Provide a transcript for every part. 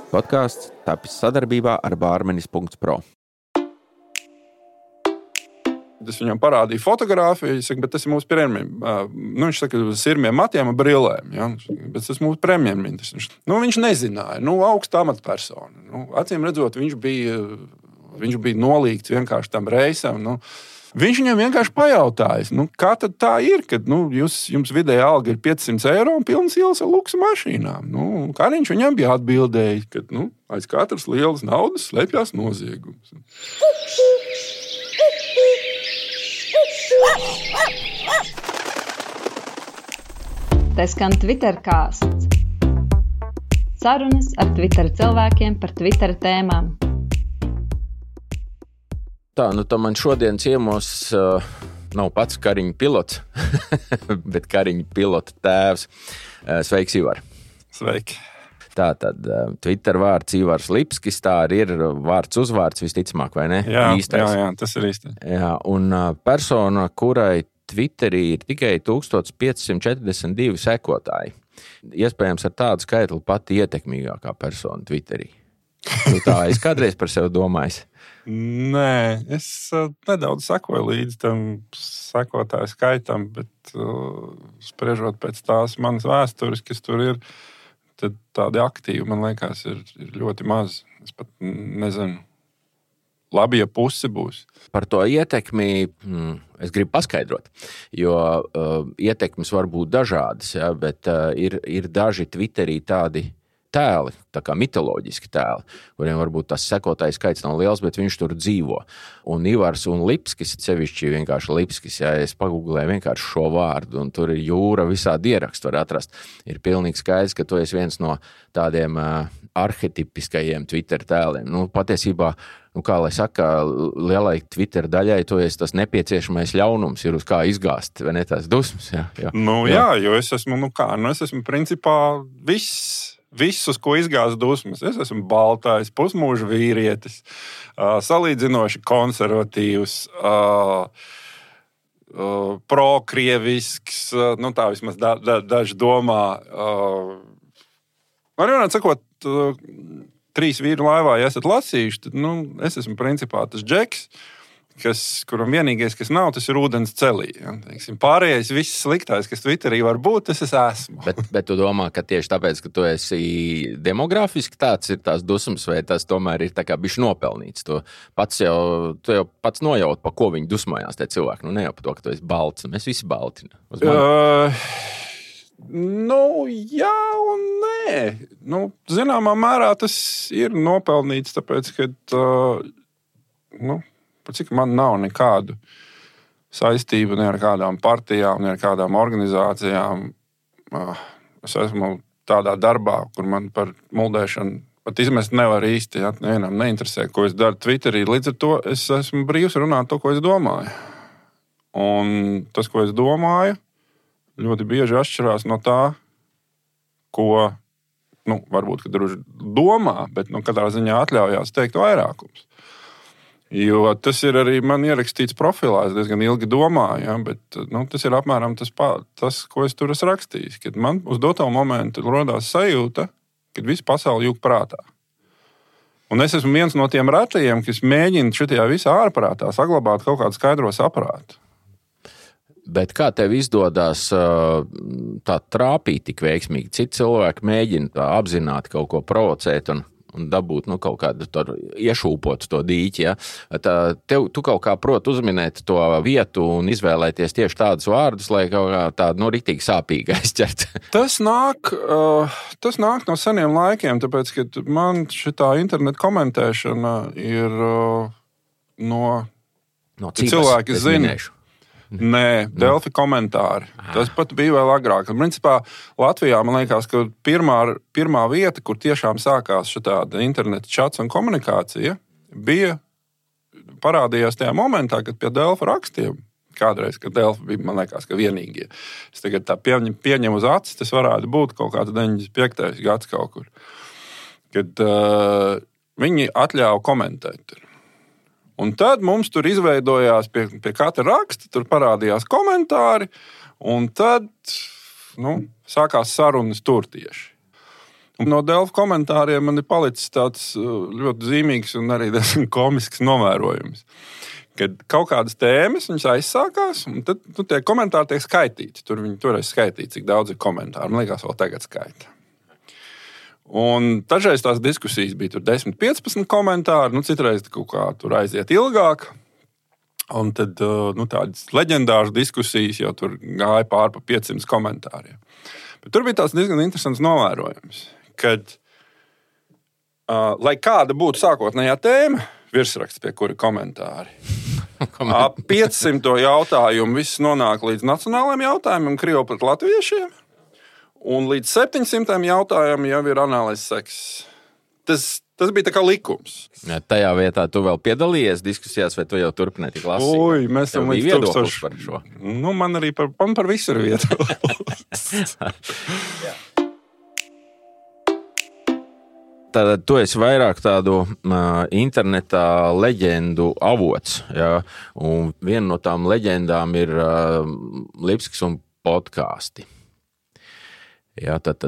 Podkāsts tapis sadarbībā ar Bārmenis.pro. Es viņam parādīju fotogrāfiju, saku, bet tas ir mūsu premjerministrs. Viņš saka, uz sirmiem matiem un brillēm. Ja? Bet tas ir mūsu premjerministrs. Viņš nezināja, augsta amatpersona. Acīm redzot, viņš bija nolīgts vienkārši tam reisam. Viņš viņam vienkārši pajautājis, kā tad tā ir, kad jums vidēja alga ir 500 eiro un pilnas ielas ar luksu mašīnām. Kariņš viņam bija atbildējis, ka aiz katras lielas naudas slēpjas noziegums. Te skan Twitter kāsts. Sarunas ar Twitter cilvēkiem par Twitter tēmām. Tā man šodien ciemos nav pats Kariņa pilots, bet Kariņa pilota tēvs. Sveiks, Ivar. Sveiki. Tātad Twitter vārds Ivars Lipskis, tā arī ir vārds uzvārds visticamāk, vai ne? Jā, tas ir īsti. Jā, un persona, kurai Twitterī ir tikai 1542 sekotāji. Iespējams, ar tādu skaitli pati ietekmīgākā persona Twitterī. Tā es kādreiz par sevi domājis. Nē, es nedaudz sekoju līdz tam sekotāju skaitam, bet spriežot pēc tās manas vēstures, kas tur ir, tad tādi aktīvi, man liekas, ir ļoti maz. Es pat nezinu. Labi, ja pusi būs. Par to ietekmi es gribu paskaidrot, jo ietekmes var būt dažādas, ja, bet ir daži Twitterī tādi tēli, tā kā mitoloģiski tēli, kuriem varbūt tas sekotājs skaits nav liels, bet viņš tur dzīvo. Un Ivars un Lipskis, sevišķi vienkārši Lipskis, ja es pagūglēju vienkārši šo vārdu, un tur ir jūra, visādi ierakstu var atrast. Ir pilnīgi skaidrs, ka tu esi viens no tādiem arhetipiskajiem Twitter tēliem. Patiesībā, kā lai saka, lielai Twitter daļai, tu esi tas nepieciešamais ļaunums, ir uz kā izgāzt, vai ne tās dusmas? Jā. Jo es esmu, es esmu principā viss, uz ko izgāzt dusmas. Es esmu baltais, pusmūža vīrietis, salīdzinoši konservatīvs, prokrievisks, tā vismaz daži domā. Man vienmēr sakot, 3 vīru laivā, ja esat lasījuši, tad es esmu principā tas džeks, kuram vienīgais, kas nav, tas ir ūdens celī. Ja? Pārējais, viss sliktais, kas Twitterī var būt, tas es esmu. Bet tu domā, ka tieši tāpēc, ka tu esi demografiski tāds ir tās dusmas, vai tas tomēr ir tā kā bišķi nopelnīts? Tu jau pats nojaut, pa ko viņi dusmojās tie cilvēki. Ne jau pa to, ka tu esi balts. Mēs visi balti. Jā un nē. Zināmā mērā tas ir nopelnīts, tāpēc, ka cik man nav nekādu saistību ne ar kādām partijām, ne ar kādām organizācijām. Es esmu tādā darbā, kur man par muldēšanu pat izmest nevar īsti. Ja? Nevienam neinteresē, ko es daru Twitterī. Līdz ar to es esmu brīvs runāt to, ko es domāju. Un tas, ko es domāju, ļoti bieži atšķirās no tā, ko, varbūt, kad druži domā, bet katrā ziņā atļaujās teikt vairākums. Jo tas ir arī man ierakstīts profilā, es diezgan ilgi domāju, ja, bet tas ir apmēram tas, ko es tur esmu rakstījis. Kad man uz doto momentu rodās sajūta, kad visa pasaule jūg prātā. Un es esmu viens no tiem retajiem, kas mēģina šitajā visā ārprātā saglabāt kaut kādu skaidro saprātu. Bet kā tev izdodas tā trāpīt tik veiksmīgi? Citi cilvēki mēģina tā apzināti kaut ko provocēt un dabūt kaut kādu iešūpot to dīķi. Ja? Tu kaut kā proti uzminēt to vietu un izvēlēties tieši tādus vārdus, lai kaut kā tādu riktīgi sāpīgi aizķert. Tas nāk no seniem laikiem, tāpēc, ka man šitā internetu komentēšana ir no cilvēki zina. Nē, Delfi komentāri. Tas pat bija vēl agrāk. Principā Latvijā, man liekas, ka pirmā vieta, kur tiešām sākās šāda interneta čats un komunikācija, parādījās tajā momentā, kad pie Delfi rakstiem, kādreiz, kad Delfi bija, man liekas, ka vienīgie. Es tagad tā pieņemu uz acis, tas varētu būt kaut kāds 95. gads kaut kur. Kad viņi atļāva komentēt. Un tad mums tur izveidojās pie katra raksta, tur parādījās komentāri, un tad sākās sarunas tur tieši. Un no Delfa komentāriem man ir palicis tāds ļoti zīmīgs un arī diezgan komisks novērojums. Kad kaut kādas tēmas viņas aizsākās, un tad tie komentāri tiek skaitīti. Viņi toreiz skaitīja, cik daudz ir komentāru. Man liekas, vēl tagad skaita. Un dažreiz tās diskusijas bija 10-15 komentāri, citreiz kaut kā tur aiziet ilgāk. Un tad tādas leģendāras diskusijas jau tur gāja pār pa 500 komentāriem. Bet tur bija tāds diezgan interesants novērojums, kad, lai kāda būtu sākotnējā tēma, virsraksts, pie kura komentāri. Ap 500 jautājumu viss nonāk līdz nacionālajiem jautājumiem, Krievu pret latviešiem, un līdz 700 jautājumiem jau ir analīzes seks. Tas bija tā kā likums. Ja, tajā vietā tu vēl piedalījies diskusijās, vai tu jau turpināji tik lasīt? Ui, mēs esam līdz 1000 par šo. Man arī par visu ir vieta. Tātad tu esi vairāk tādu internetā leģendu avots. Ja? Un viena no tām leģendām ir Lipskis un podkāsti. Ja, tad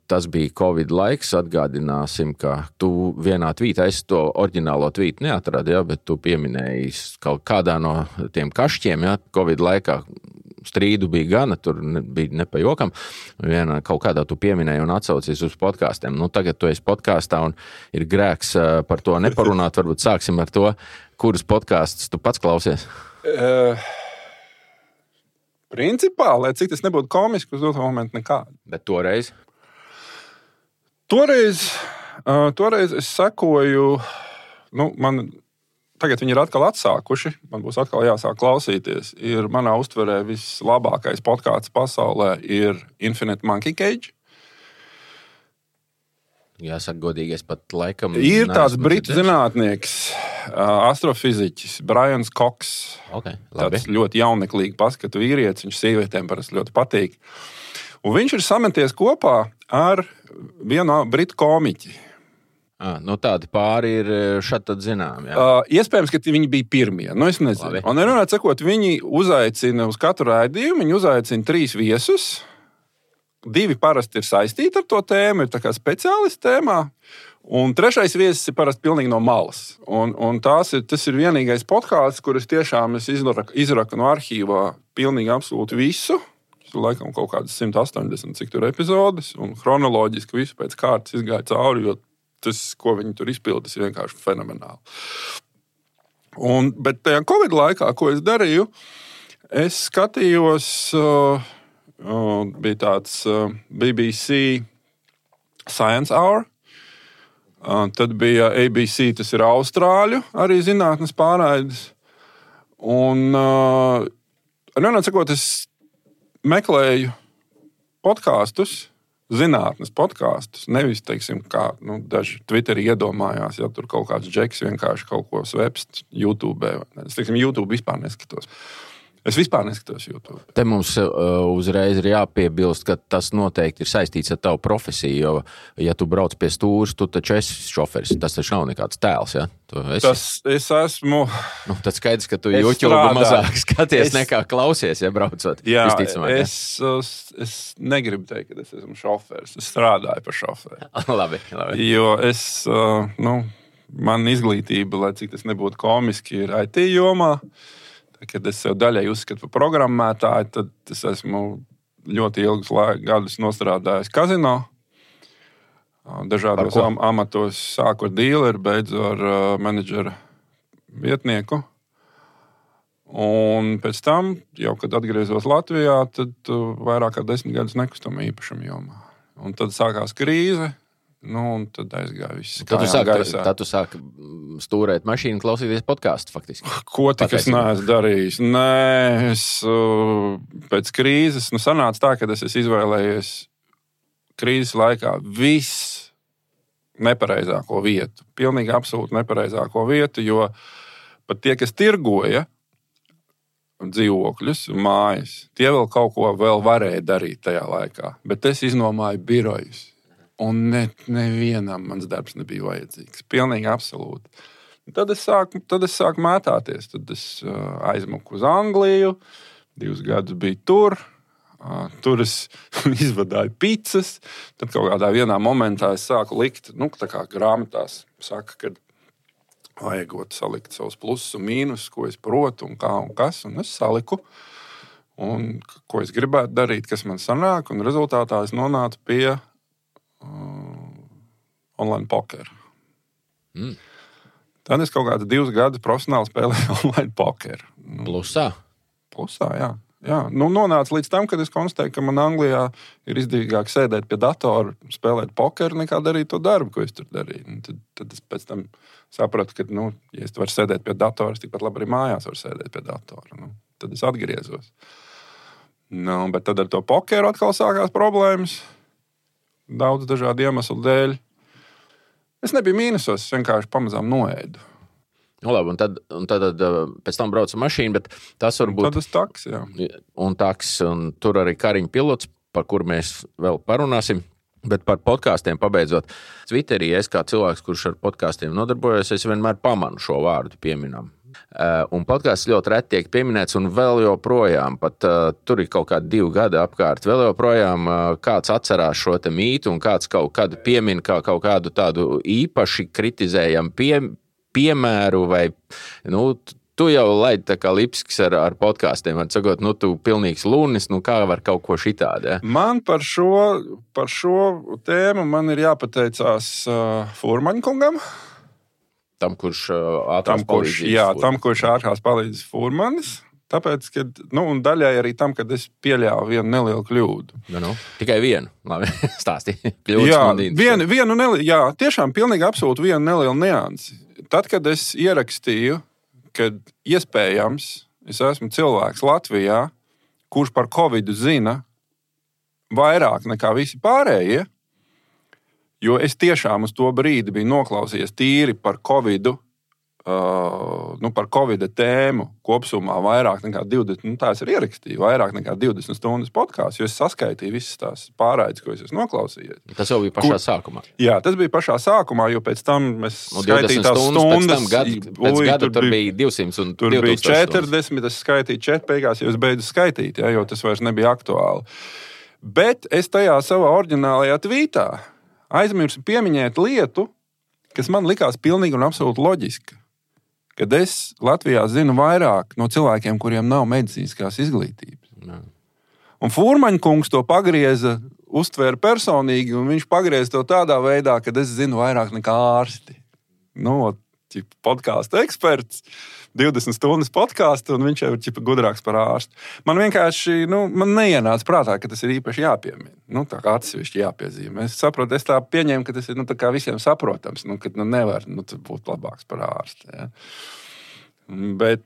tas bija Covid laiks. Atgādināsim, ka tu vienā tvītā, es to oriģinālo tvītu neatradu, ja, bet tu pieminēji kaut kādā no tiem kašķiem, ja, Covid laikā. Strīdu bija gana, tur bija nepajokam. Vienā kaut kādā tu pieminēji un atsaucies uz podkāstiem. Tagad tu esi podkāstā un ir grēks par to neparunāt. Varbūt sāksim ar to, kurus podkāstus tu pats klausies. Principā, lai cik tas nebūtu komiski, uz doto momentu nekādu. Bet toreiz? Toreiz es sekoju, tagad viņi ir atkal atsākuši, man būs atkal jāsāk klausīties. Ir manā uztverē vislabākais podkāsts pasaulē ir Infinite Monkey Cage. Jāsaka godīgi, es pat laikam... Ir tāds britu zinātnieks, astrofiziķis, Brians Cox. Okay, labi. Tāds ļoti jauneklīgi paskatu vīrietis, viņš sievietēm parasti ļoti patīk. Un viņš ir sameties kopā ar vienu britu komiķi. Tādi pāri ir šad tad zinām. Jā. Iespējams, ka viņi bija pirmie. Es nezinu. Labi. Un runāt sakot, viņi uzaicina uz katru raidījumu, viņi uzaicina 3 viesus. 2 parasti ir saistīti ar to tēmu, ir tā kā speciālisti tēmā. Un 3. viesis ir parasti pilnīgi no malas. Un tas ir vienīgais podkāsts, kurus tiešām es izraku no arhīvā pilnīgi absolūti visu. Laikam kaut kādas 180 cik tur epizodes. Un chronoloģiski visu pēc kārtas izgāja cauri, jo tas, ko viņi tur izpildīs, ir vienkārši fenomenāli. Bet tajā Covid laikā, ko es darīju, es skatījos, bija tāds BBC Science Hour, tad bija ABC, tas ir Austrāļu, arī zinātnes pārraides. Un, es meklēju podkāstus, zinātnes podkāstus, nevis, teiksim, kā daži Twitterī iedomājās, ja tur kaut kāds džeks vienkārši kaut ko svepst YouTube. Es, teiksim, YouTube vispār neskatos. Es vispār neskatos YouTube. Te mums uzreiz ir jāpiebilst, ka tas noteikti ir saistīts ar tavu profesiju, jo, ja tu brauc pie stūres, tu taču esi šoferis. Tas taču nav nekāds tēls, ja? Es esmu... Tad skaidrs, ka tu YouTube mazāk skaties nekā klausies, ja braucot. Jā, es negribu teikt, ka es esmu šoferis. Es strādāju par šoferi. Labi. Jo man izglītība, lai cik tas nebūtu komiski, ir IT jomā. Kad es sev daļai uzskatu par programmētāju, tad es esmu ļoti ilgus gadus nostrādājis kazino. Dažādos amatos sāku ar dīleri, beidzu ar menedžera vietnieku. Un pēc tam, jau kad atgriezos Latvijā, tad vairāk kā 10 gadus nekustamo īpašumu jomā. Un tad sākās krīze. Un tad aizgāja viss. Tad tu sāki stūrēt mašīnu, klausīties podkāstu faktiski. Ko tik es neesmu darījis? Nē, es pēc krīzes, sanāca tā, ka es esmu izvēlējies krīzes laikā viss nepareizāko vietu. Pilnīgi absolūti nepareizāko vietu, jo pat tie, kas tirgoja dzīvokļus un mājas, tie vēl kaut ko vēl varēja darīt tajā laikā. Bet es iznomāju birojus. Un nevienam mans darbs nebija vajadzīgs. Pilnīgi absolūti. Tad es sāku mētāties. Tad es aizmuku uz Angliju. 2 gadus biju tur. Tur es izvadāju picas, tad kaut kādā vienā momentā es sāku likt, tā kā grāmatās saka, ka vajagot salikt savus plusus un mīnus, ko es protu un kā un kas, un es saliku, un ko es gribētu darīt, kas man sanāk, un rezultātā es nonācu pie online pokera. Tad es kaut kādu 2 gadus profesionāli spēlēju online pokeru. Plusā? Plusā, jā. Nonāca līdz tam, kad es konstatēju, ka man Anglijā ir izdevīgāk sēdēt pie datora, spēlēt pokeru, nekā darīt to darbu, ko es tur darīju. Tad es pēc tam sapratu, ka, ja es varu sēdēt pie datora, es tikpat labi arī mājās varu sēdēt pie datora. Tad es atgriezos. Bet tad ar to pokeru atkal sākās problēmas. Daudz dažādu iemeslu dēļ. Es nebiju mīnusos, es vienkārši pamazām noēdu. Labi, un tad pēc tam braucu mašīnu, bet tas varbūt... Tad es taks, jā. Un tur arī Kariņa pilots, par kuru mēs vēl parunāsim. Bet par podkāstiem pabeidzot. Twitterī es kā cilvēks, kurš ar podkāstiem nodarbojos, es vienmēr pamanu šo vārdu pieminam. Un podkāsts ļoti reti tiek pieminēts, un vēl joprojām, pat tur ir kaut kādi 2 gadi apkārt, vēl joprojām kāds atcerās šo te mītu, un kāds kaut kādu piemin kā kaut kādu tādu īpaši kritizējamu piemēru, vai, tu jau laidi tā kā Lipskis ar podkāstiem, var sakot, tu pilnīgs lunis, kā var kaut ko šitādi, ja? Man par šo tēmu man ir jāpateicās Furmaņkungam. Tam, kurš ātrās palīdzības. Jā, tam, kurš ātrās palīdzības Furmanis. Tāpēc, un daļai arī tam, kad es pieļāvu vienu nelielu kļūdu. Tikai vienu. Labi, stāstīju. Jā, tiešām pilnīgi absolūti vienu nelielu niansi. Tad, kad es ierakstīju, kad iespējams es esmu cilvēks Latvijā, kurš par Covidu zina vairāk nekā visi pārējie, jo es tiešām uz to brīdi biju noklausījies tīri par Covidu, par Covida tēmu kopsumā vairāk nekā 20, tā es arī ierakstīju, vairāk nekā 20 stundas podkāstu, jo es saskaitīju visas tās pārraides, ko es esmu noklausījies. Tas jau bija pašā sākumā. Jā, tas bija pašā sākumā, jo pēc tam mēs skaitīju tās stundas. Pēc gada tur bija 200 un 2000. Tur bija 40, es skaitīju 4 beigās, jo es beidzu skaitīt, jo tas vairs nebija aktuāli. Bet es tajā savā oriģinālajā tvītā aizmirsu pieminēt lietu, kas man likās pilnīgi un absolūti loģiska. Kad es Latvijā zinu vairāk no cilvēkiem, kuriem nav medicīniskās izglītības. Jā. Un Furmaņkungs to pagrieza, uztvēra personīgi, un viņš pagrieza to tādā veidā, ka es zinu vairāk nekā ārsti. Podkāstu eksperts, 20 stundas podkāstu, un viņš jau ir gudrāks par ārstu. Man vienkārši, man neienāca prātā, ka tas ir īpaši jāpiemina. Tā kā atsevišķi jāpiezīmē. Es saprotu, es tā pieņēmu, ka tas ir, tā kā visiem saprotams, ka nevar, būt labāks par ārstu. Ja. Bet,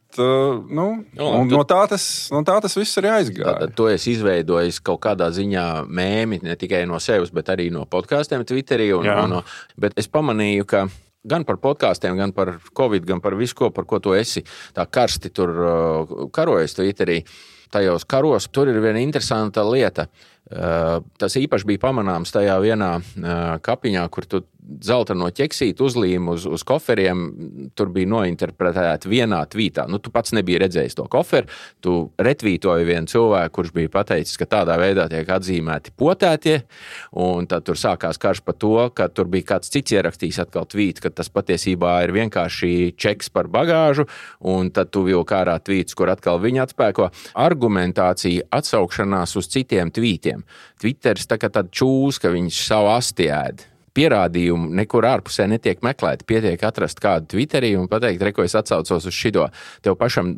no tā tas viss arī aizgāja. Tātad to es izveidojis kaut kādā ziņā mēmi, ne tikai no sevis, bet arī no podkāstiem Twitterī. Bet es pamanīju, ka gan par podkāstiem, gan par Covid, gan par visu, par ko tu esi tā karsti tur karojies Twitterī. Tajos karos tur ir viena interesanta lieta. Tas īpaši bija pamanāms tajā vienā kapiņā, kur tu zeltaino ķeksīti uzlīmi uz koferiem. Tur bija nointerpretēta vienā tvītā. Tu pats nebija redzējis to koferu. Tu retvītoji vienu cilvēku, kurš bija pateicis, ka tādā veidā tiek atzīmēti potētie. Un tad tur sākās karš par to, ka tur bija kāds cits ierakstījis atkal tvītu, ka tas patiesībā ir vienkārši čeks par bagāžu. Un tad tu vilki ārā tvītus, kur atkal viņi atspēko. Argumentācija atsaukšanās uz citiem tvītiem. Twitteris tā kā tāda čūska, viņš savu asti ēd. Pierādījumu nekur ārpusē netiek meklēti. Pietiek atrast kādu Twitterī un pateikt, ko es atsaucos uz šito. Tev pašam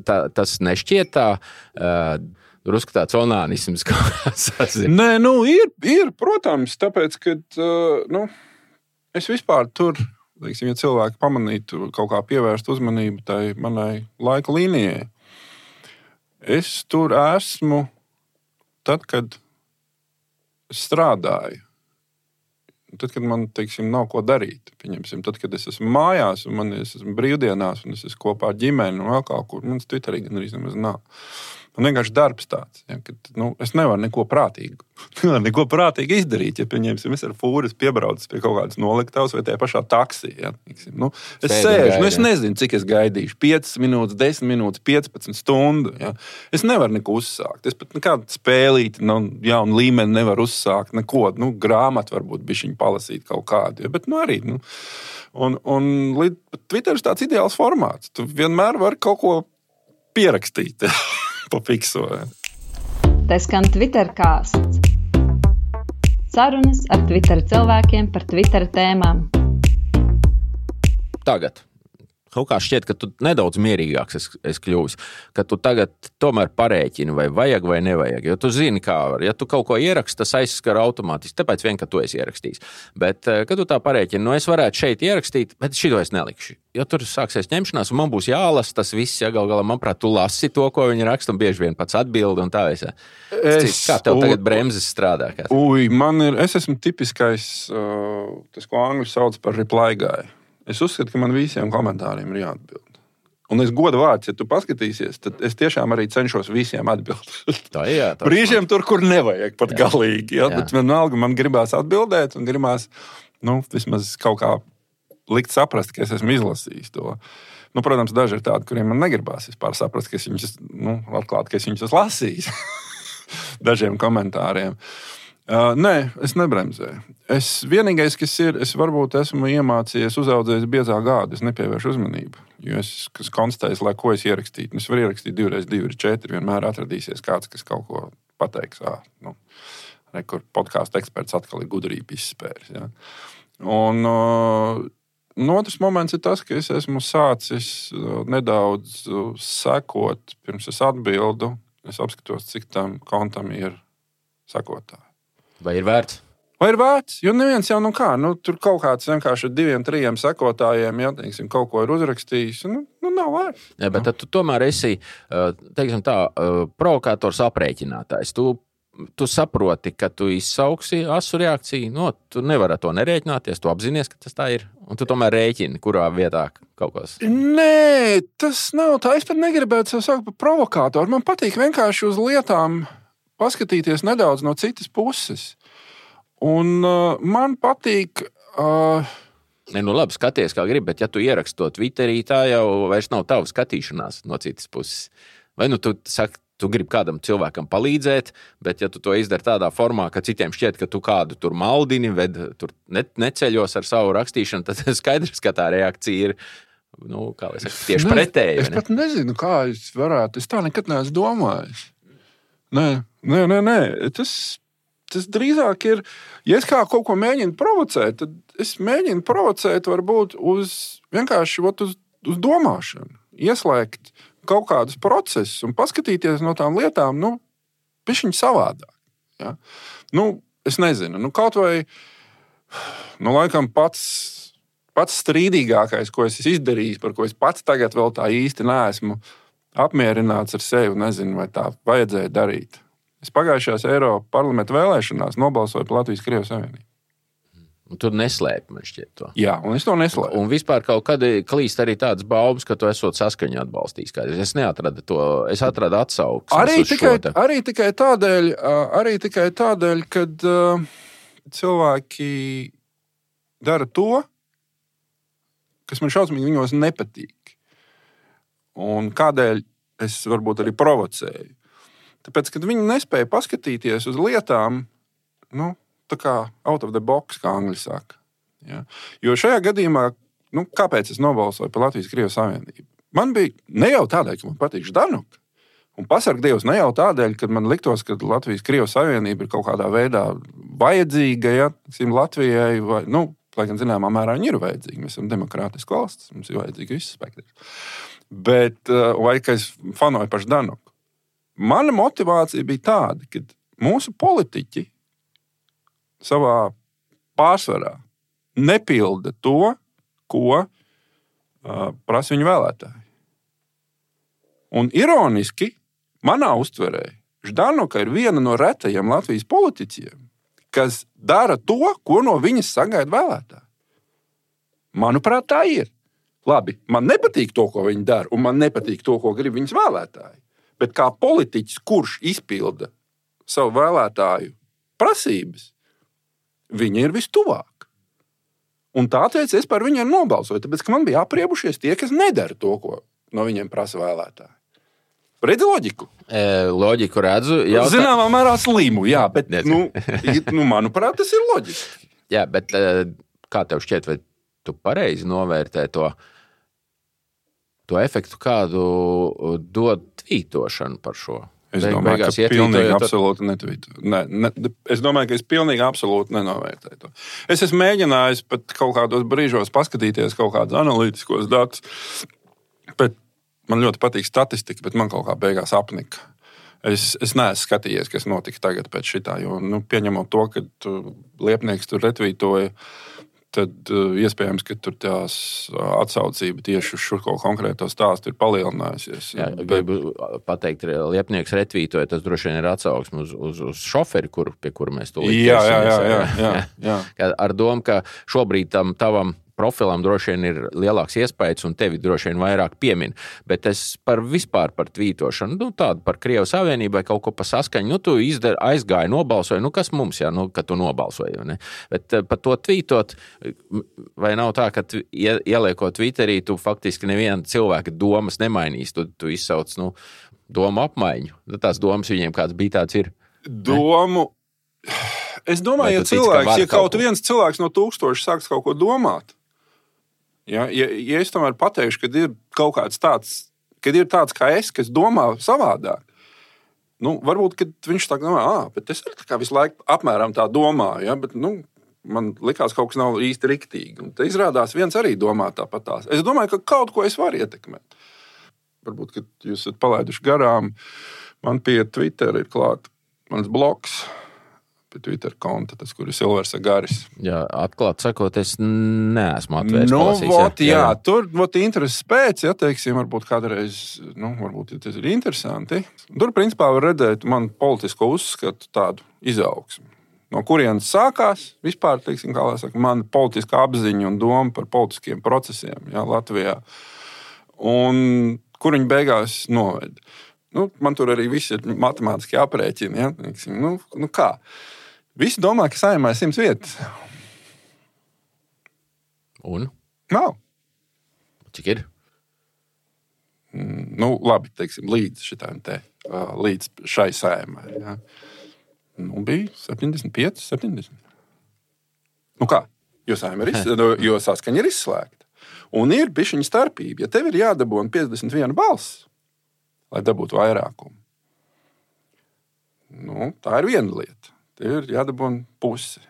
tas nešķiet tā drusku tāds onānisms, kā sazina? Nē, ir, protams, tāpēc, ka es vispār tur, ja cilvēki pamanītu kaut kā pievērst uzmanību tai manai laika līnijai. Es tur esmu tad, kad strādāju. Tad, kad man, nav ko darīt. Tad, kad es esmu mājās, un es esmu brīvdienās, un es esmu kopā ar ģimeni, un vēl kaut kur, man Twitterī gan arī nemaz nav. Man vienkārši darbs tāds, ja, ka es nevaru neko prātīgi izdarīt. Ja, pieņemsim, es ar fūru piebraucu pie kaut kādas noliktavas vai tajā pašā taksī. Ja, es sēžu, es nezinu, cik es gaidīšu. 5 minūtes, 10 minūtes, 15 stundu. Ja. Es nevaru neko uzsākt. Es pat nekādu spēlīti, jaunu līmeni nevaru uzsākt. Neko, grāmatu varbūt bišķiņu palasīt kaut kādu. Ja, bet arī. Un Twitter ir tāds ideāls formāts. Tu vienmēr vari kaut ko pierakstīt. Pa fikso. Tas skan Twitter kāsts. Sarunas ar Twitter cilvēkiem par Twitter tēmām. Tagad. Kaut kā šķiet, ka tu nedaudz mierīgāks esi kļuvis, ka tu tagad tomēr parēķini, vai vajag vai nevajag. Jo tu zini, kā var. Ja tu kaut ko ieraksti, tas aizskar automātiski, tāpēc vien, ka tu esi ierakstījis. Bet, kad tu tā parēķini, es varētu šeit ierakstīt, bet šito es nelikšu. Jo tur sāksies ņemšanās, un man būs jālasa tas viss, ja gal galā, manuprāt, tu lasi to, ko viņi raksta, un bieži vien pats atbildi, un tā es. Kā tev tagad bremzes strādā? Es esmu tipiskais, tas, ko angļu sauc par reply guy. Es uzskatu, ka man visiem komentāriem ir jāatbild. Un es godu vārds, ja tu paskatīsies, tad es tiešām arī cenšos visiem atbildēt. Brīžiem tur, kur nevajag pat galīgi. Ja? Bet vienalga man gribās atbildēt un gribās vismaz kaut kā likt saprast, ka es esmu izlasījis to. Protams, daži ir tādi, kuriem man negribās vispār saprast, ka es viņus, atklāt, ka es viņus esmu lasījis dažiem komentāriem. Nē, es nebremzēju. Vienīgais, kas ir, es varbūt esmu iemācījies uzaudzējis biezā gādu, es nepievēršu uzmanību, jo es konstatēju, lai ko es ierakstītu. Es varu ierakstīt 2x2 ir 4, vienmēr atradīsies kāds, kas kaut ko pateiks. Kur podkāstu eksperts atkal ir gudrība izspēris. Ja. Un otrs moments ir tas, ka es esmu sācis nedaudz sekot, pirms es atbildu, es apskatos, cik tam kontam ir sekotāji. Vai ir vērts? Jo neviens jau tur kaut kāds vienkārši 2-3 sekotājiem, ja, teiksim, kaut ko ir uzrakstījis, nav vērts. Ja, bet tad tu tomēr esi, teiksim tā, provokators aprēķinātājs. Tu saproti, ka tu izsauksi asu reakciju, tu nevari to nerēķināties, tu apzinies, ka tas tā ir, un tu tomēr rēķini, kurā vietā kaut kas. Nē, tas nav tā, es pat negribētu sev saukt par provokātoru. Man patīk vienkārši uz lietām paskatīties nedaudz no citas puses. Un man patīk... Labi, skaties, kā gribi, bet ja tu ieraksti to Twitterī, tā jau vairs nav tava skatīšanās no citas puses. Vai tu saki, tu gribi kādam cilvēkam palīdzēt, bet ja tu to izdari tādā formā, ka citiem šķiet, ka tu kādu tur maldini, tur neceļos ar savu rakstīšanu, tad skaidrs, ka tā reakcija ir, kā lai saka, tieši pretēji. Es pat nezinu, kā es varētu. Es tā nekad neesmu domājis. Nē. Tas drīzāk ir, ja es kā kaut ko mēģinu provocēt, tad es mēģinu provocēt varbūt vienkārši uz domāšanu. Ieslēgt kaut kādus procesus un paskatīties no tām lietām, bišķiņ savādāk. Ja? Es nezinu, kaut vai, laikam pats strīdīgākais, ko es izdarījis, par ko es pats tagad vēl tā īsti neesmu apmierināts ar sevi, nezinu, vai tā vajadzēja darīt. Es pagājušajās Eiropas parlamenta vēlēšanās nobalsoju par Latvijas-Krievijas Savienību. Un tu neslēpi, man šķiet to. Jā, un es to neslēpu. Un vispār kaut kad klīst arī tādas baumas, ka tu esot saskaņu atbalstījis. Es neatradu to, es atradu atsauksmes. Arī tikai tādēļ, kad cilvēki dara to, kas man šausmīgi viņos nepatīk. Un kādēļ es varbūt arī provocēju. Tāpēc, kad viņi nespēja paskatīties uz lietām, tā kā out of the box, kā angļi saka. Ja? Jo šajā gadījumā, kāpēc es nobalsoju par Latvijas-Krievijas Savienību? Man bija ne jau tādēļ, ka man patīk Ždanuka. Un pasarg Dievs, ne jau tādēļ, ka man liktos, ka Latvijas-Krievijas Savienība ir kaut kādā veidā vajadzīga, ja, Latvijai, vai, lai gan zināmā mērā viņi ir vajadzīgi. Mēs esam demokrātiski valsts, mums ir vajadzīgi viss spektrs. Bet, vai ka es fanoju par Ždanuku. Mana motivācija bija tāda, ka mūsu politiķi savā pārsvarā nepilda to, ko prasa viņu vēlētāji. Un ironiski, manā uztverē, Ždanuka ir viena no retajiem Latvijas politiķiem, kas dara to, ko no viņas sagaida vēlētāji. Manuprāt, tā ir. Labi, man nepatīk to, ko viņi dara, un man nepatīk to, ko grib viņas vēlētāji. Bet kā politiķis, kurš izpilda savu vēlētāju prasības, viņi ir vistuvāk. Un tāpēc es par viņiem nobalsoju, tāpēc, ka man bija apriebušies tie, kas nedara to, ko no viņiem prasa vēlētāji. Redzi loģiku? Loģiku redzu. Zināmā mērā slimu, jā, bet, manuprāt, tas ir loģiski. Jā, bet kā tev šķiet, vai tu pareizi novērtē to efektu, kādu dod tvītošana par šo? Es domāju, ka pilnīgi absolūti netvītoju. Es domāju, ka es pilnīgi absolūti nenovērtēju to. Es esmu mēģinājis pat kaut kādos brīžos paskatīties kaut kādus analītiskos datus, bet man ļoti patīk statistika, bet man kaut kā beigās apnika. Es neesmu skatījies, kas notika tagad pēc šitā, jo pieņemot to, ka Liepnieks tur retvītoja, tad iespējams, ka tur tās atsaucība tieši uz šo konkrēto stāstu ir palielinājusies. Jā, gribu pateikt, Liepnieks retvītoja, tas droši vien ir atsauksme uz šoferi, pie kura mēs tūlīt ķersimies. Jā. Ar domu, ka šobrīd tavam profilam droši vien ir lielāks iespējas un tevi droši vien vairāk piemin. Bet es vispār par tvītošanu, tādu par Krievijas Savienībai kaut ko pa saskaņu, tu aizgāji, nobalsoji, kas mums, ka tu nobalsoji, ne? Bet par to tvītot, vai nav tā, ka ieliekot Twitterī, tu faktiski neviena cilvēka domas nemainīs, tu izsauc, domu apmaiņu. Tās domas viņiem kāds bija tāds ir. Domu. Es domāju, ja kaut viens cilvēks no 1000 sāks kaut ko domāt, ja es tomēr pateikšu, ka ir kaut kāds tāds, kad ir tāds kā es, kas domā savādāk, varbūt, kad viņš tā domā, bet es arī tā kā visu laiku apmēram tā domāju, ja, bet, man likās kaut kas nav īsti riktīgi. Un te izrādās viens arī domā tāpatās. Es domāju, ka kaut ko es varu ietekmēt. Varbūt, kad jūs esat palaiduši garām, man pie Twitter ir klāt mans blogs, Twitter konta, tas, kur ir Silvers Agaris. Jā, atklāt sakot, es neesmu atvērts. Tur intereses pēc, teiksim, varbūt kādreiz, varbūt tas ir interesanti. Tur, principā, var redzēt man politisko uzskatu tādu izaugsmu. No kurienes sākās vispār, teiksim, kā lai saka, man politiskā apziņa un doma par politiskiem procesiem, Latvijā. Un kur viņi beigās noved. Man tur arī viss ir matemātiski aprēķini, teiksim, kā? Visi domā, ka Saeimā ir 100 vietas. Un? Nav. Cik ir? Labi, teiksim, līdz šai Saeimai. Ja. Bija 75, 70. Kā? Jo Saeima jo saskaņa ir izslēgta. Un ir bišķiņa starpība. Ja tev ir jādabūna 51 balss, lai dabūtu vairākumu, tā ir viena lieta. Tev ir jādabūna pusi.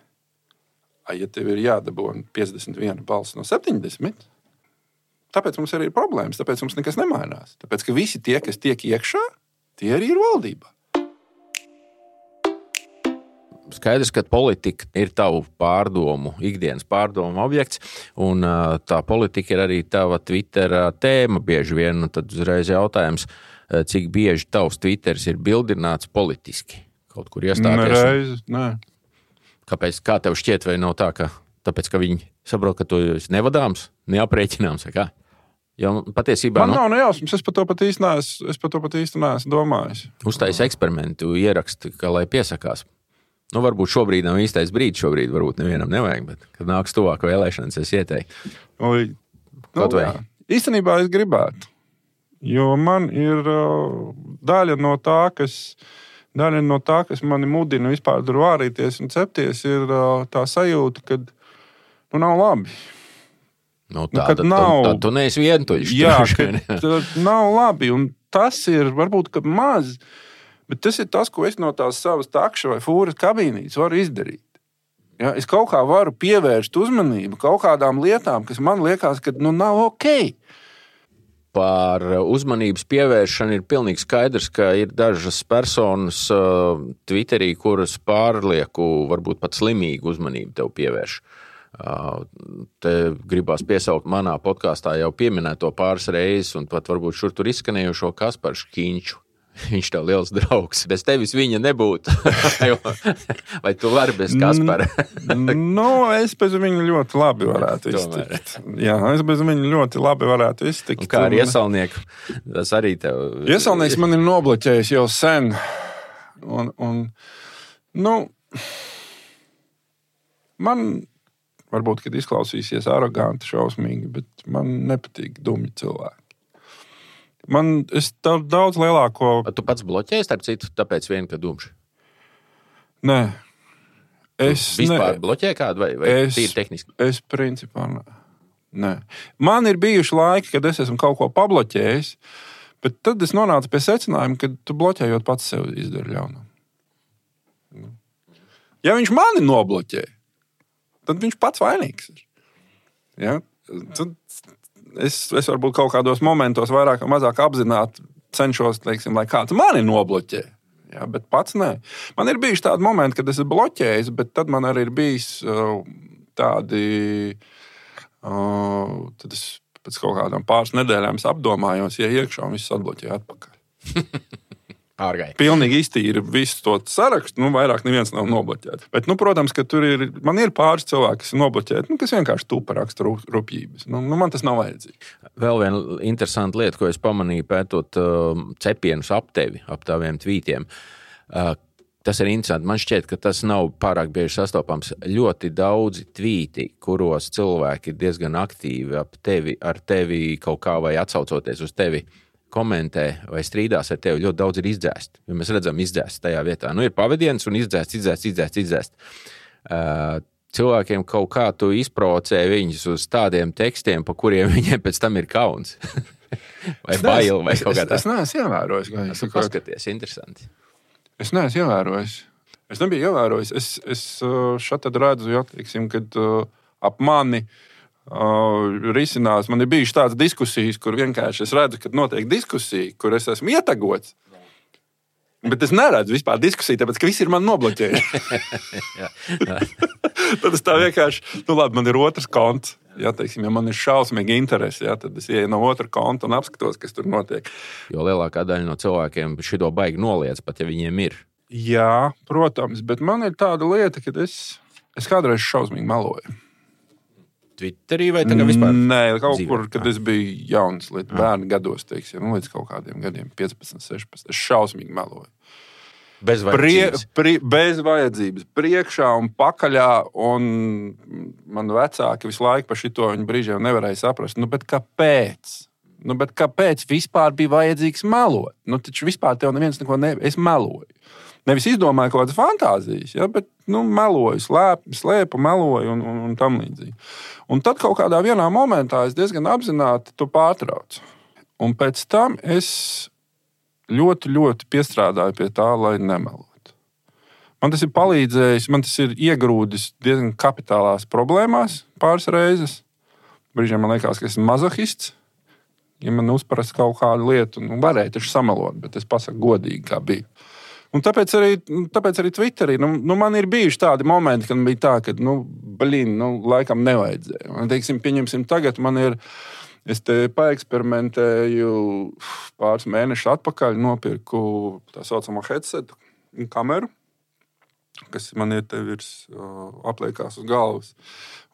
Ja tev ir jādabūna 51 balss no 70, tāpēc mums arī ir problēmas, tāpēc mums nekas nemainās. Tāpēc, ka visi tie, kas tiek iekšā, tie arī ir valdībā. Skaidrs, ka politika ir tavu pārdomu, ikdienas pārdomu objekts, un tā politika ir arī tava Twitter tēma bieži vien, un tad uzreiz jautājums, cik bieži tavs Twitters ir bildināts politiski. Kaut kur iestāties. Nē. Kāpēc? Kā tev šķiet, vai nav tā, ka tāpēc, ka viņi saprot, ka tu esi nevadāms, neaprēķināms, vai kā? Jo patiesībā... Man nav nejausmas, es par to pat īsti neesmu domājis. Uztais eksperimentu ieraksti, ka lai piesakās. Varbūt šobrīd nav īstais brīdis, šobrīd varbūt nevienam nevajag, bet, kad nāks tuvāk vēlēšanas, es ieteiktu. Īstenībā es gribētu, jo man ir daļa no tā, kas mani mudina vispār tur vārīties un cepties, ir tā sajūta, ka nav labi. Tad tu neesi vientuļš. Jā, kad nav labi, un tas ir varbūt, ka maz, bet tas ir tas, ko es no tās savas takša vai fūras kabīnītes varu izdarīt. Ja, es kaut kā varu pievērst uzmanību kaut kādām lietām, kas man liekas, ka nav ok. Par uzmanības pievēršanu ir pilnīgi skaidrs, ka ir dažas personas Twitterī, kuras pārlieku, varbūt pat slimīgu uzmanību tev pievērš. Te gribās piesaukt manā podkāstā jau pieminēto pāris reizes, un pat varbūt šur tur izskanējušo Kasparu Škiņču. Viņš tev liels draugs. Bez tevis viņa nebūtu. Vai tu vari bez Kaspara? Es bez viņa ļoti labi varētu iztikt. Jā, es bez viņa ļoti labi varētu iztikt. Un kā ar Iesalnieku? Tas arī tev... Iesalnieks man ir nobloķējis jau sen. Man varbūt, kad izklausīsies aroganti, šausmīgi, bet man nepatīk dumji cilvēki. Es daudz lielāko... Tu pats bloķēji, starp citu, tāpēc vien, ka dumši? Nē. Vispār bloķēji kādu vai tīri tehniski? Es principā nē. Man ir bijuši laiki, kad es esmu kaut ko pabloķējis, bet tad es nonācu pie secinājuma, ka tu bloķējot pats sev izdari ļaunumu. Ja viņš mani nobloķē, tad viņš pats vainīgs ir. Ja? Tad es varbūt kaut kādos momentos vairāk vai mazāk apzināti cenšos, teiksim, lai kāds mani nobloķē. Ja, bet pats nē. Man ir bijuši tādi momenti, kad es esmu bloķējis, bet tad man arī ir bijis tādi... Tad es pēc kaut kādām pāris nedēļām apdomājos, ja iekšā un viss atbloķēja atpakaļ. Ārgai. Pilnīgi iztīri visu to sarakstu, vairāk neviens nav nobloķēts. Bet, protams, ka man ir pāris cilvēki, kas ir nobloķēti, kas vienkārši tupa raksta rupjības. Man tas nav vajadzīgi. Vēl viena interesanta lieta, ko es pamanīju pētot cepienus ap tevi, ap taviem tvītiem. Tas ir interesanti. Man šķiet, ka tas nav pārāk bieži sastopams. Ļoti daudzi tvīti, kuros cilvēki ir diezgan aktīvi ar tevi kaut kā vai atsaucoties uz tevi, komentē vai strīdās ar tevi, ļoti daudz ir izdzēst. Jo mēs redzam izdzēst tajā vietā. Ir pavadiens un izdzēst. Cilvēkiem kaut kā tu izprovocē viņus uz tādiem tekstiem, pa kuriem viņiem pēc tam ir kauns. Vai bail, vai kaut kā tā. Es neesmu ievērojis. Tu paskaties, interesanti. Es neesmu ievērojis. Es nebiju ievērojis. Es šeit redzu, teiksim, kad ap mani risinās. Man ir bijušas tādas diskusijas, kur vienkārši es redzu, ka notiek diskusija, kur es esmu ietagots. Bet es neredzu vispār diskusiju, tāpēc, ka visi ir man nobloķējuši. Tad es tā vienkārši, labi, man ir otrs konts. Ja man ir šausmīgi interesi, tad es ieju no otra konta un apskatos, kas tur notiek. Jo lielākā daļa no cilvēkiem šito baigi noliedz, pat ja viņiem ir. Jā, protams, bet man ir tāda lieta, ka es kādreiz šausmīgi meloju. Twitterī vai tagad vispār? Nē, kaut kur, kad es biju jauns, līdz bērnu gados, teiksim, līdz kaut kādiem gadiem, 15, 16, es šausmīgi meloju. Bez vajadzības. Bez vajadzības. Priekšā un pakaļā, un man vecāki visu laiku par šito viņu brīžiem nevarēja saprast. Bet kāpēc? Bet kāpēc vispār bija vajadzīgs melot? Taču vispār tev neviens neko es meloju. Nevis izdomāju kaut kādas fantāzijas, bet meloju, slēpu, meloju un tam līdzīgi. Un tad kaut kādā vienā momentā es diezgan apzināti to pārtraucu. Un pēc tam es ļoti, ļoti piestrādāju pie tā, lai nemelotu. Man tas ir palīdzējis, man tas ir iegrūdis diezgan kapitālās problēmās pāris reizes. Brīžiem man liekas, ka esmu mazohists. Ja man uzprast kaut kādu lietu, varēja taču samelot, bet es pasaku godīgi, kā bija. Un tāpēc arī Twitterī, man ir bijuši tādi momenti, kad bija tā, ka, laikam nevajadzēja. Un, teiksim, pieņemsim, tagad man ir, es te paeksperimentēju pāris mēnešus atpakaļ, nopirku tā saucamo headsetu, kameru, kas man ir te virs, apliekās uz galvas,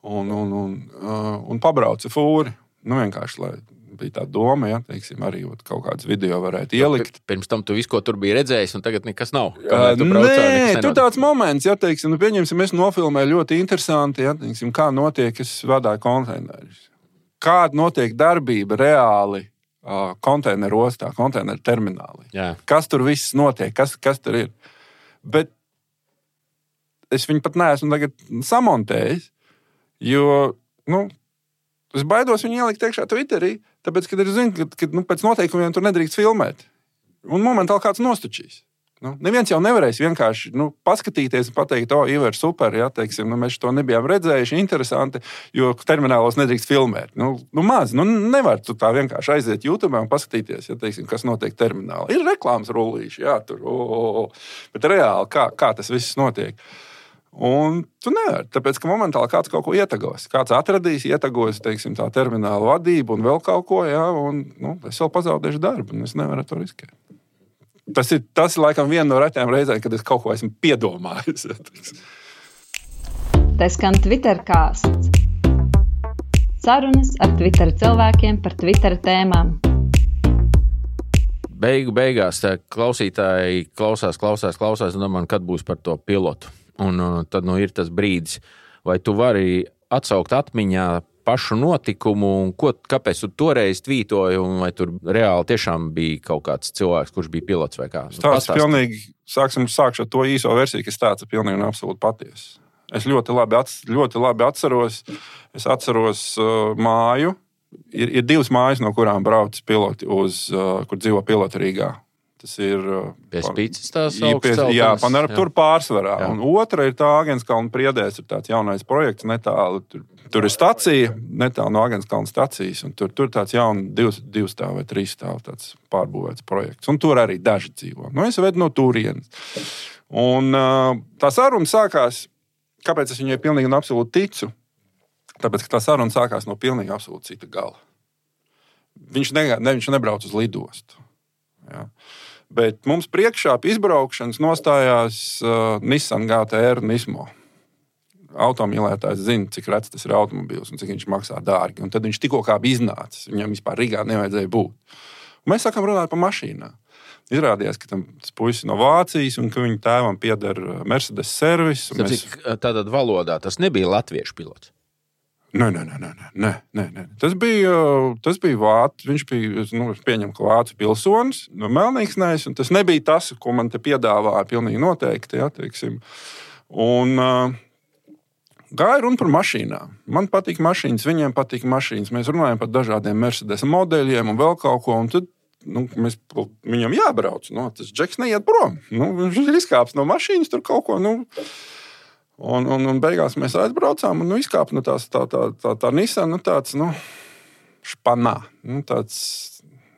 un pabraucu fūri, vienkārši, lai bija tā doma, teiksim, arī kaut kāds video varētu ielikt. Pirms tam tu visu, ko tur bija redzējis, un tagad nekas nav. Nē, tur tāds moments, teiksim, pieņemsim, es nofilmēju ļoti interesanti, teiksim, kā notiek, es vadāju konteinerus. Kāda notiek darbība reāli konteineru ostā, konteineru terminālī. Jā. Kas tur viss notiek, kas tur ir. Bet es viņu pat neesmu tagad samontējis, jo, es baidos viņu ielikt iekšā Twitterī, tāpēc, kad es zinu, ka pēc noteikumiem tur nedrīkst filmēt. Un momentāli kāds nostučīs. Neviens jau nevarēs vienkārši paskatīties un pateikt, Iver, super, teiksim, mēs to nebijām redzējuši, interesanti, jo terminālos nedrīkst filmēt. Maz, nevar tu tā vienkārši aiziet YouTube un paskatīties, teiksim, kas notiek terminālā. Ir reklāmas rullīši, tur, bet reāli, kā tas viss notiek. Un tu nevari, tāpēc, ka momentāli kāds kaut ko ietagos. Kāds atradīs, ietagos, teiksim, tā termināla vadību un vēl kaut ko, un es vēl pazaudēšu darbu, un es nevaru to riskēt. Tas ir laikam viena no retām reizēm, kad es kaut ko esmu piedomājis. Tas skan Twitter kāsts. Sarunas ar Twitter cilvēkiem par Twitter tēmām. Beigās tā klausītāji klausās, un domā, kad būs par to pilotu. Un tad ir tas brīdis, vai tu vari atsaukt atmiņā pašu notikumu, un kāpēc tu toreiz tvītoji, un vai tur reāli tiešām bija kaut kāds cilvēks, kurš bija pilots vai kā? Sākšu ar to īso versiju, kas tāds ir pilnīgi un absolūti patiesa. Es ļoti labi atceros. Es atceros māju. Ir divas mājas, no kurām brauc piloti kur dzīvo piloti Rīgā. Tas ir pie Spīces tās augstceltnes. Jā, tur pārsvarā. Jā. Un otra ir tā Agenskalna Priedēs, ir tāds jaunais projekts netālu. Tur ir stacija, netālu no Agenskalna stacijas, un tur tāds jauns 2 stāv vai 3 stāv tāds pārbūvēts projekts. Un tur arī daži dzīvo. Es vedu no turienes. Un tā saruna sākās. Kāpēc es viņai pilnīgi un absolūti ticu? Tāpēc, ka tā saruna sākās no pilnīgi absolūti cita gala. Viņš nebrauc uz lidostu. Ja. Bet mums priekšā pie izbraukšanas nostājās Nissan GT-R Nismo. Automīlētājs zina, cik rets tas ir automobils un cik viņš maksā dārgi. Un tad viņš tikko kā bija iznācis. Viņam vispār Rīgā nevajadzēja būt. Un mēs sākam runāt par mašīnām. Izrādījās, ka tas puisis no Vācijas un ka viņa tēvam pieder Mercedes servis. Tātad valodā tas nebija latviešu pilots? Nē. Tas bija vācu. Viņš bija, pieņem, ka vācu pilsonis no Melnīksnēs, un tas nebija tas, ko man te piedāvāja pilnīgi noteikti, ja, teiksim. Un gāja runa par mašīnām. Man patīk mašīnas, viņiem patīk mašīnas. Mēs runājam par dažādiem Mercedes modeļiem un vēl kaut ko, un tad viņam jābrauc. Tas džeks neiet prom. Viņš ir izkāps no mašīnas, tur kaut ko. Un beigās mēs aizbraucām un izkāpa no tā Nissan, tāds španā. Tāds,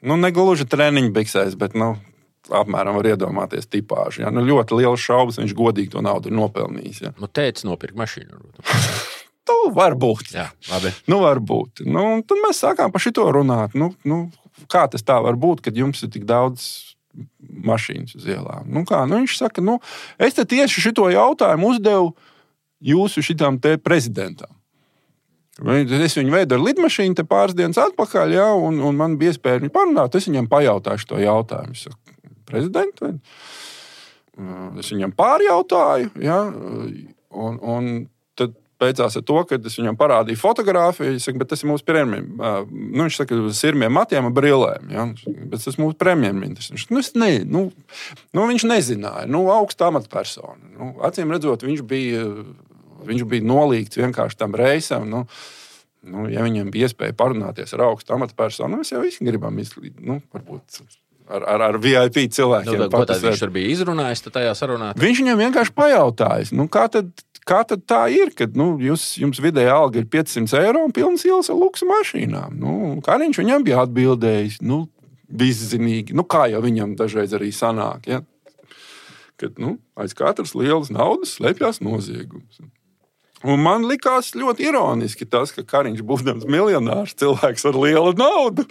negluži treniņu biksēs, bet apmēram var iedomāties tipāžu. Ja? Ļoti liels šaubas, viņš godīgi to naudu ir nopelnījis. Ja? Tētis nopirka mašīnu. Varbūt. Jā, labi. Varbūt. Tad mēs sākām par šito runāt. Kā tas tā var būt, kad jums ir tik daudz mašīnas uz ielām? Viņš saka, es te tieši šito jautājumu uzdevu jūsu šitām te prezidentam. Es viņu veidu ar lidmašīnu te pāris dienas atpakaļ, ja, un man bija iespēja viņu parunāt. Es viņam pajautāšu to jautājumu. Es saku, prezidentu? Es viņam pārjautāju, ja, un tad beidzās ar to, ka es viņam parādīju fotogrāfiju. Es saku, bet tas ir mūsu premjerministrs. Viņš saka, uz sirmiem matiem un brillēm. Ja? Bet tas ir mūsu premjerministrs. Viņš nezināja. Augsta amatpersona. Acīm redzot, viņš bija nolīgts vienkārši tam reisam. Ja viņam bija iespēja parunāties ar augstu amatpersonu, mēs jau visi gribam varbūt ar VIP cilvēkiem. Ko tad viņš tur bija izrunājis tajā sarunā? Viņš viņam vienkārši pajautājis. Kā tad tā ir, kad jums vidēja alga ir 500 eiro un pilnas ielas ar luksu mašīnām? Kā viņš viņam bija atbildējis? Viszinīgi. Kā jau viņam dažreiz arī sanāk. Ja? Kad aiz katras lielas naudas slēpjas noziegums. Un man likās ļoti ironiski tas, ka Kariņš, būdams miljonārs, cilvēks ar lielu naudu,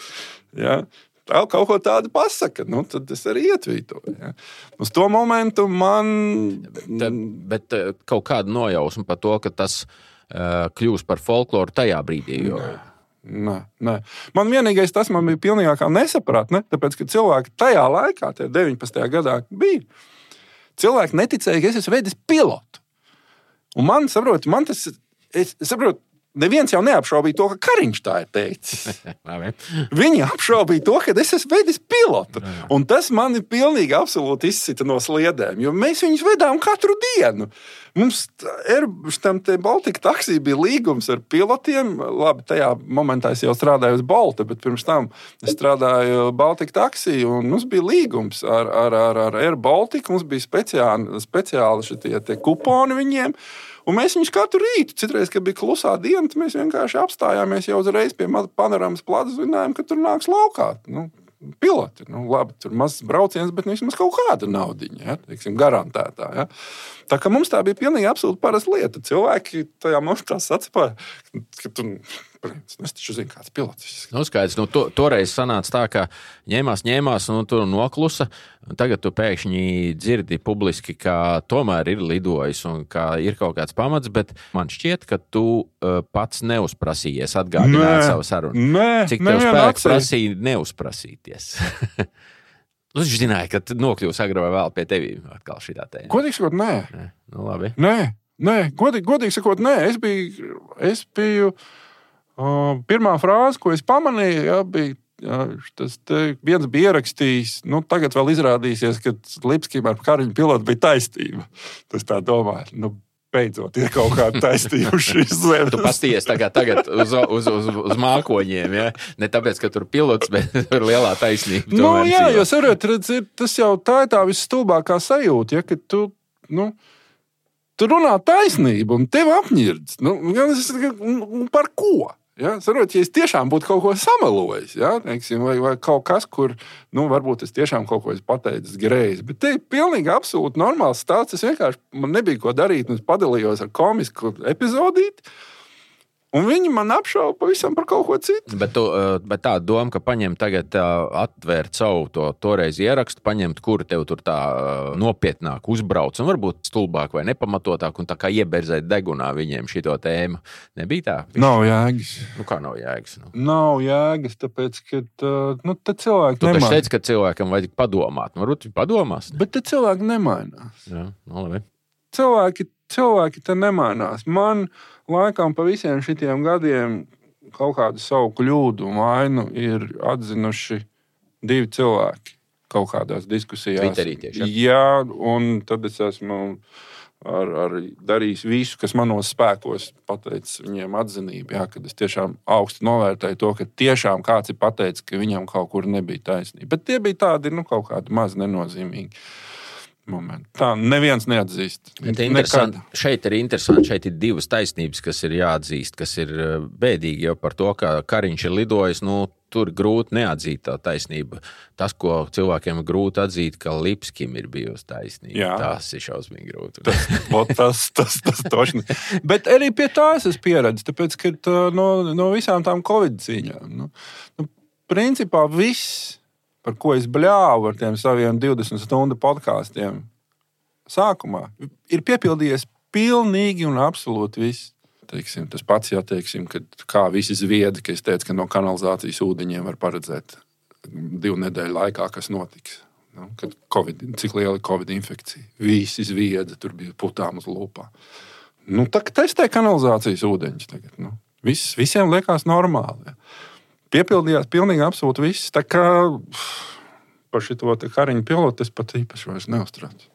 ja? Tā kaut ko tādu pasaka, tad es arī ietvītoju. Ja. Uz to momentu man... Bet kaut kāda nojausma par to, ka tas kļūs par folkloru tajā brīdī. Nē. Man vienīgais tas man bija pilnīgākā nesaprāt, tāpēc, ka cilvēki tajā laikā, 19. gadā bija, cilvēki neticēja, ka es esmu vedis pilotu. Un man tas... Es saprotu, neviens jau neapšaubīja to, ka Kariņš tā ir teicis. Viņi apšaubīja to, ka es esmu vedis pilotu. Un tas mani pilnīgi absolūti izsita no sliedēm, jo mēs viņus vedām katru dienu. Mums tam Baltika taksī bija līgums ar pilotiem. Labi, tajā momentā es jau strādāju uz Balta, bet pirms tam es strādāju Baltika taksī, un mums bija līgums ar Air Baltica. Mums bija speciāli šitie kuponi viņiem. Un mēs viņus katru rītu, citreiz, kad bija klusā diena, mēs vienkārši apstājāmies jau uzreiz pie panoramas plazas, zinājām, ka tur nāks laukā. Piloti. Labi, tur mazs brauciens, bet vismaz kaut kāda naudiņa, ja, teiksim, garantētā. Ja. Tā kā mums tā bija pilnīgi absolūti parasta lieta. Cilvēki tajā momentā sacipāja, ka princis. Es taču zinu, kāds pilots. Skaidrs, toreiz sanāca tā, ka ņēmās, tur noklusa. Tagad tu pēkšņi dzirdi publiski, ka tomēr ir lidojis un ka ir kaut kāds pamats, bet man šķiet, ka tu pats neuzprasījies atgādināt savu sarunu. Cik tev spēks prasīja neuzprasīties? Es zināju, ka nokļūs agrāk vai vēl pie tevis atkal šitā tēma. Godīgi sakot, nē. Nu, labi. Nē, godīgi sakot, nē. Es biju pirmā frāze, ko es pamanīju, bija tas viens bija ierakstījis. Tagad vēl izrādīsies, ka Lipskim ar Kariņu pilotu bija taisnība. Tas tā domāju. Beidzot, ir kaut kāda taisnība uz šīs zemes. Tu pasties tagad uz mākoņiem, ja? Ne tāpēc, ka tur pilots, bet tur lielā taisnība. Jā, jo saprotiet, tas jau tā ir tā visstulbākā sajūta, ja, ka tu runā taisnību un tev apņirds. Par ko? Ja, sarot, ja es tiešām būtu kaut ko samelojis, ja, teiksim, vai kaut kas, kur varbūt es tiešām kaut ko esmu pateicis greizi, bet te ir pilnīgi absolūti normāls stāsts. Es vienkārši man nebija ko darīt, un es padalījos ar komisku epizodīti, un viņi man apšauba pavisam par kaut ko citu. Bet tā doma, ka paņemt tagad atvērt savu toreiz ierakstu, paņemt, kuru tev tur tā nopietnāk uzbrauc, un varbūt stulbāk vai nepamatotāk, un tā kā ieberzēt degunā viņiem šito tēmu. Nebija tā? Nav jēgas. Kā nav jēgas? Nav jēgas, tāpēc, ka te cilvēki nemainās. Tu taču teici, ka cilvēkam vajag padomāt. Varbūt viņi padomās. Bet te cilvēki nemainās. Jā, labi. Cilvēki te nemainās. Man laikam pa visiem šitiem gadiem kaut kādu savu kļūdu un vainu ir atzinuši 2 cilvēki kaut kādās diskusijās. Twitterī tieši. Jā, un tad es esmu ar darījis visu, kas manos spēkos, pateicis viņiem atzinību, jā, kad es tiešām augsti novērtēju to, ka tiešām kāds ir pateicis, ka viņam kaut kur nebija taisnība. Bet tie bija tādi, kaut kādi maz nenozīmīgi momenti. Tā neviens neatzīst. Šeit ir interesanti, šeit ir 2 taisnības, kas ir jāatzīst, kas ir bēdīgi jau par to, ka Kariņš ir lidojis, tur grūti neatzīt tā taisnība. Tas, ko cilvēkiem ir grūti atzīt, ka Lipskim ir bijusi taisnība. Jā. Tas ir šausmīgi grūti. Tas tošni. Bet arī pie tās es pieredzu, tāpēc, ka no visām tām Covid cīņām, principā viss, par ko es bļāvu ar tiem saviem 20 stundu podkāstiem sākumā, ir piepildījies pilnīgi un absolūti viss. Teiksim, tas pats, teiksim, kad kā visi zviedi, ka es teicu, ka no kanalizācijas ūdeņiem var paredzēt 2 nedēļu laikā, kas notiks. Kad cik liela ir Covid infekcija. Visi zviedi, tur bija putām uz lūpā. Tā testē kanalizācijas ūdeņus tagad. Visiem liekas normāli. Ja. Piepildījās pilnīgi absolūti viss. Tā kā par šito Kariņu pilotu es pat īpaši vairs neuztraucu.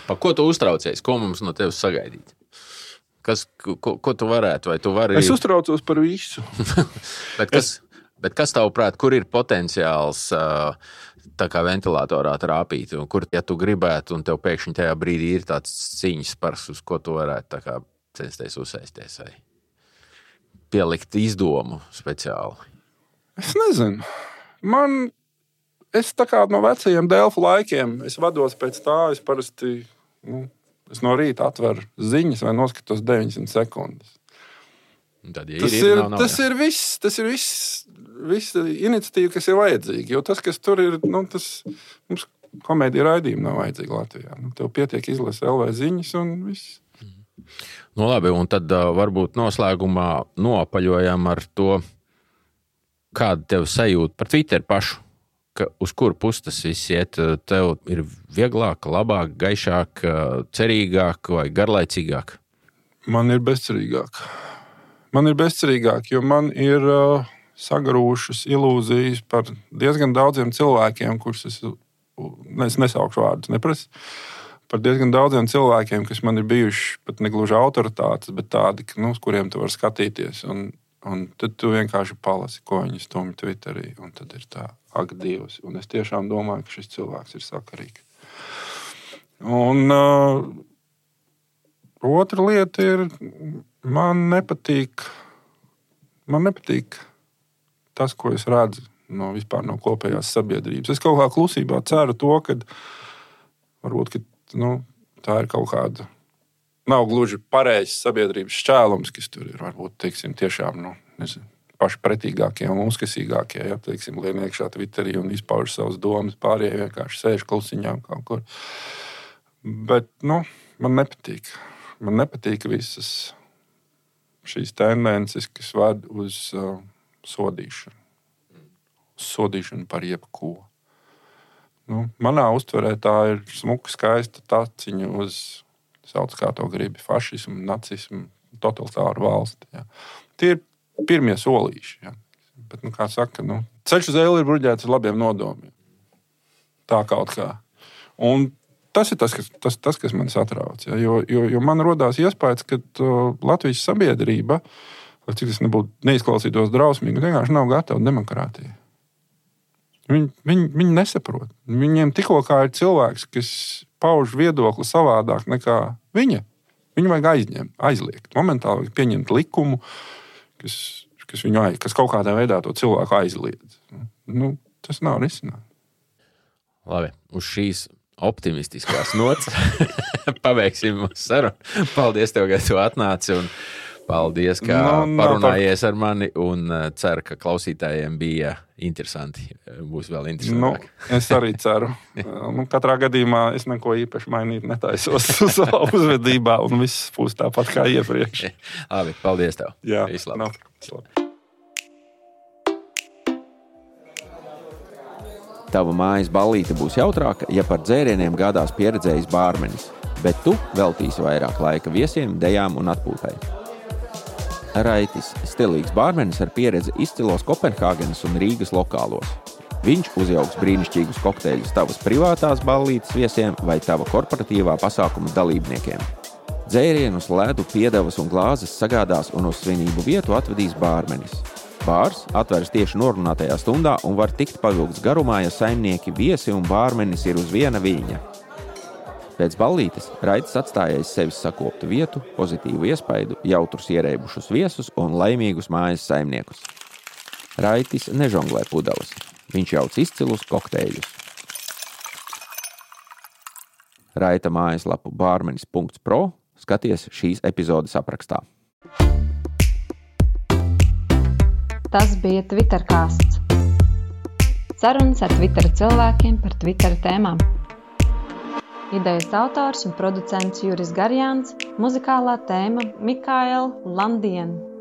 Par ko tu uztraucies? Ko mums no tevis sagaidīt? Ko tu varētu? Vai tu vari... Es uztraucos par visu. bet kas tavuprāt, kur ir potenciāls tā kā ventilatorā trāpīt? Un kur, ja tu gribētu, un tev pēkšņi tajā brīdī ir tāds cīņas spars, uz ko tu varētu tā kā censties uzsēsties vai pielikt izdomu speciāli? Es nezinu. Es tā kā no vecajiem Delfu laikiem, es vados pēc tā, es parasti, es no rīta atveru ziņas vai noskatos 900 sekundes. Tad, tas ir viss iniciatīva, kas ir vajadzīga, jo tas, kas tur ir, mums komēdija raidījumi nav vajadzīgi Latvijā. Tev pietiek izlasa LV ziņas un viss. Labi, un tad varbūt noslēgumā noapaļojam ar to, kāda tev sajūta par Twitter pašu, ka uz kuru pusi tas viss iet, tev ir vieglāk, labāk, gaišāk, cerīgāk vai garlaicīgāk? Man ir bezcerīgāk. Jo man ir sagrūšas ilūzijas par diezgan daudziem cilvēkiem, kurus es nesaukšu vārdus, neprasu. Par diezgan daudziem cilvēkiem, kas man ir bijuši pat negluži autoritātes, bet tādi, uz kuriem tu vari skatīties. Un tad tu vienkārši palasi, ko viņi stumj Twitterī. Un tad ir tā, ak, Dievs. Un es tiešām domāju, ka šis cilvēks ir sakarīgs. Un otra lieta ir, man nepatīk tas, ko es redzu vispār no kopējās sabiedrības. Es kaut kā klusībā ceru to, ka varbūt, tā ir kaut kāda, nav gluži pareizs sabiedrības šķēlums, kas tur ir. Varbūt, teiksim, tiešām paši pretīgākie un uzkasīgākie, ja teiksim, lien iekšā Twitterī un izpauž savas domas, pārējie vienkārši sēž klusiņā kaut kur. Bet, man nepatīk. Man nepatīk visas šīs tendences, kas ved uz sodīšanu. Sodīšanu par jebko. Manā uztverē tā ir smuka, skaista taciņa uz, sauc kā to gribi, fašismu, nacismu, totalitāru valsti. Ja. Tie ir pirmie solīši. Ja. Bet, kā saka, ceļš uz ēli ir bruģēts ar labiem nodomiem. Tā kaut kā. Un tas ir tas, kas man satrauc. Ja. Jo man rodās iespējas, ka Latvijas sabiedrība, lai cik tas nebūtu neizklausītos drausmīgi, vienkārši nav gatava demokrātijai. Viņi nesaprot. Viņiem tikko kā ir cilvēks, kas pauž viedokli savādāk nekā viņa. Viņu vajag aizliegt. Momentāli vajag pieņemt likumu, kas kaut kādā veidā to cilvēku aizliedz. Tas nav risinājums. Labi, uz šīs optimistiskās nots pabeigsim mūsu sarunu. Paldies tev, ka tu atnāci un paldies, ka parunājies ar mani un ceru, ka klausītājiem bija interesanti. Būs vēl interesantāk. Es arī ceru. Katrā gadījumā es neko īpaši mainīt netaisos savā uzvedībā un viss būs tāpat kā iepriekš. Labi, paldies tev. Jā, Vislabāk. Tava mājas ballīte būs jautrāka, ja par dzērieniem gādās pieredzējis bārmenis, bet tu veltīsi vairāk laika viesiem, dejām un atpūtai. Raitis – stilīgs bārmenis ar pieredzi izcilos Kopenhāgenes un Rīgas lokālos. Viņš uzjauks brīnišķīgus kokteļus tavas privātās ballītes viesiem vai tava korporatīvā pasākuma dalībniekiem. Dzērienus, ledu, piedevas un glāzes sagādās un uz svinību vietu atvedīs bārmenis. Bārs atveras tieši norunātajā stundā un var tikt pavilgts garumā, ja saimnieki, viesi un bārmenis ir uz viena viļņa. Pēc ballītes Raitis atstājais sevis sakoptu vietu, pozitīvu iespaidu, jautrus ierēbušus viesus un laimīgus mājas saimniekus. Raitis nežonglē pudeles. Viņš jauc izcilus kokteļus. Raita mājaslapu barmenis.pro skaties šīs epizodes aprakstā. Tas bija Twitterkāsts. Sarunas ar Twitter cilvēkiem par Twitter tēmām. Idejas autors un producents Juris Garjāns, muzikālā tēma Mikaela Landiena.